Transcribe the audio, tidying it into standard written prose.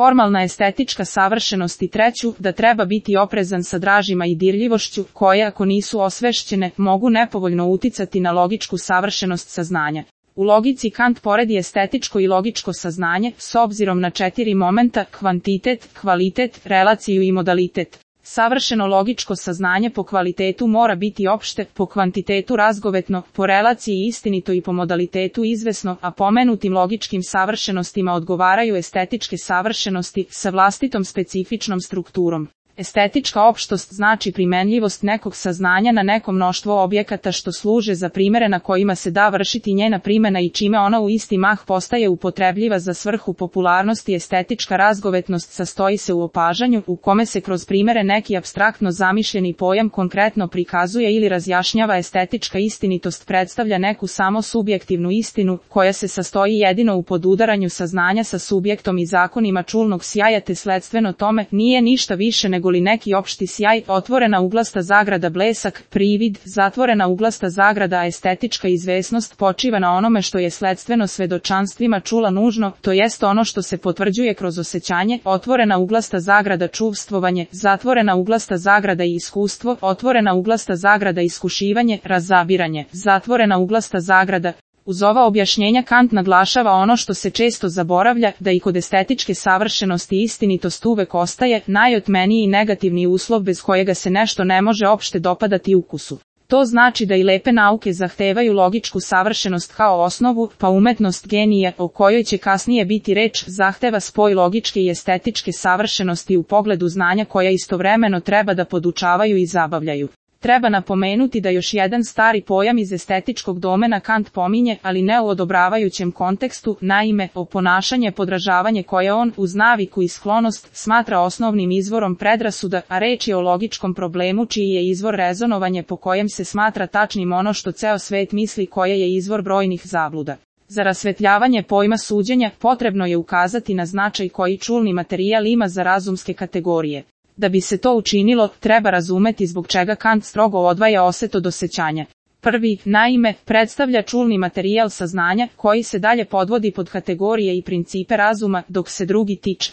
formalna estetička savršenost i treću, da treba biti oprezan sa dražima i dirljivošću, koje ako nisu osvešćene, mogu nepovoljno uticati na logičku savršenost saznanja. U logici Kant poredi estetičko i logičko saznanje, s obzirom na 4 momenta, kvantitet, kvalitet, relaciju i modalitet. Savršeno logičko saznanje po kvalitetu mora biti opšte, po kvantitetu razgovetno, po relaciji istinito i po modalitetu izvesno, a pomenutim logičkim savršenostima odgovaraju estetičke savršenosti sa vlastitom specifičnom strukturom. Estetička opštost znači primenljivost nekog saznanja na neko mnoštvo objekata što služe za primere na kojima se da vršiti njena primena i čime ona u isti mah postaje upotrebljiva za svrhu popularnosti. Estetička razgovetnost sastoji se u opažanju u kome se kroz primere neki apstraktno zamišljeni pojam konkretno prikazuje ili razjašnjava. Estetička istinitost predstavlja neku samo subjektivnu istinu koja se sastoji jedino u podudaranju saznanja sa subjektom i zakonima čulnog sjaja, te sledstveno tome nije ništa više nego li neki opšti sjaj, otvorena uglasta zagrada blesak, privid, zatvorena uglasta zagrada. Estetička izvesnost počiva na onome što je sledstveno svedočanstvima čula nužno, to jest ono što se potvrđuje kroz osjećanje, otvorena uglasta zagrada čuvstvovanje, zatvorena uglasta zagrada i iskustvo, otvorena uglasta zagrada iskušivanje, razabiranje, zatvorena uglasta zagrada. Uz ova objašnjenja Kant naglašava ono što se često zaboravlja, da i kod estetičke savršenosti istinitost uvek ostaje najotmeniji i negativni uslov bez kojega se nešto ne može opšte dopadati ukusu. To znači da i lepe nauke zahtevaju logičku savršenost kao osnovu, pa umetnost genija, o kojoj će kasnije biti reč, zahteva spoj logičke i estetičke savršenosti u pogledu znanja koja istovremeno treba da podučavaju i zabavljaju. Treba napomenuti da još jedan stari pojam iz estetičkog domena Kant pominje, ali ne u odobravajućem kontekstu, naime, oponašanje podražavanje koje on, uz naviku i sklonost, smatra osnovnim izvorom predrasuda, a reč je o logičkom problemu čiji je izvor rezonovanje po kojem se smatra tačnim ono što ceo svet misli, koje je izvor brojnih zabluda. Za rasvetljavanje pojma suđenja potrebno je ukazati na značaj koji čulni materijal ima za razumske kategorije. Da bi se to učinilo, treba razumeti zbog čega Kant strogo odvaja oset od osjećanja. Prvi, naime, predstavlja čulni materijal saznanja, koji se dalje podvodi pod kategorije i principe razuma, dok se drugi tiče